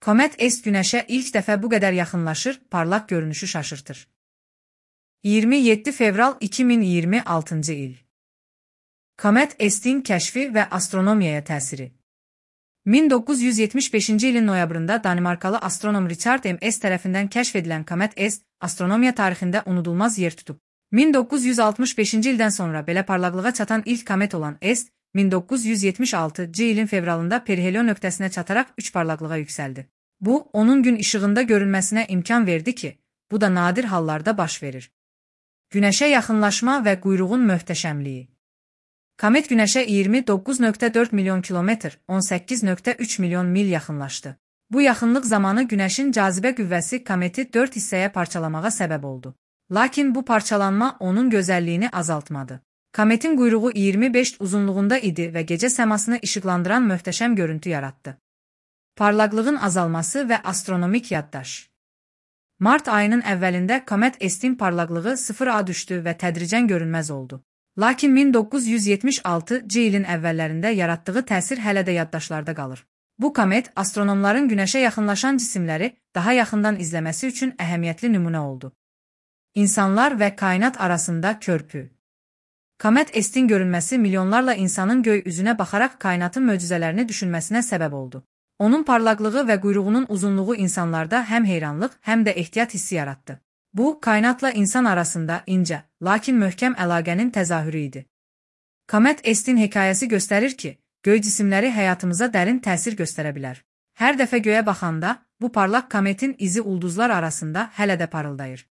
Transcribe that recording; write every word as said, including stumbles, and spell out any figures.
Komet Est Günəşə ilk dəfə bu qədər yaxınlaşır, parlaq görünüşü şaşırtır. iyirmi yeddi fevral iki min iyirmi altıncı il. Komet Est'in kəşfi və astronomiyaya təsiri. min doqquz yüz yetmiş beşinci ilin noyabrında Danimarkalı astronom Richard M S tərəfindən kəşf edilən Komet Est, astronomiya tarixində unudulmaz yer tutub. min doqquz yüz altmış beşinci ildən sonra belə parlaqlığa çatan ilk komet olan Est, min doqquz yüz yetmiş altıncı ilin fevralında perihelion nöqtəsinə çataraq üç parlaqlığa yüksəldi. Bu, onun gün işığında görünməsinə imkan verdi ki, bu da nadir hallarda baş verir. Günəşə yaxınlaşma və quyruğun möhtəşəmliyi. Komet Günəşə iyirmi doqquz nöqtə dörd milyon kilometr, on səkkiz nöqtə üç milyon mil yaxınlaşdı. Bu yaxınlıq zamanı Günəşin cazibə qüvvəsi kometi dörd hissəyə parçalamağa səbəb oldu. Lakin bu parçalanma onun gözəlliyini azaltmadı. Kometin quyruğu iyirmi beş uzunluğunda idi və gecə səmasını işıqlandıran möhtəşəm görüntü yaratdı. Parlaqlığın azalması və astronomik yaddaş. Mart ayının əvvəlində Komet Est'in parlaqlığı sıfıra düşdü və tədricən görünməz oldu. Lakin min doqquz yüz yetmiş altıncı ilin əvvəllərində yaratdığı təsir hələ də yaddaşlarda qalır. Bu komet astronomların Günəşə yaxınlaşan cisimləri daha yaxından izləməsi üçün əhəmiyyətli nümunə oldu. İnsanlar və kainat arasında körpü. Komet Est'in görünməsi milyonlarla insanın göy üzünə baxaraq kainatın möcüzələrini düşünməsinə səbəb oldu. Onun parlaqlığı və quyruğunun uzunluğu insanlarda həm heyranlıq, həm də ehtiyat hissi yaratdı. Bu, kainatla insan arasında incə, lakin möhkəm əlaqənin təzahürü idi. Komet Est'in hekayəsi göstərir ki, göy cisimləri həyatımıza dərin təsir göstərə bilər. Hər dəfə göyə baxanda, bu parlaq kometin izi ulduzlar arasında hələ də parıldayır.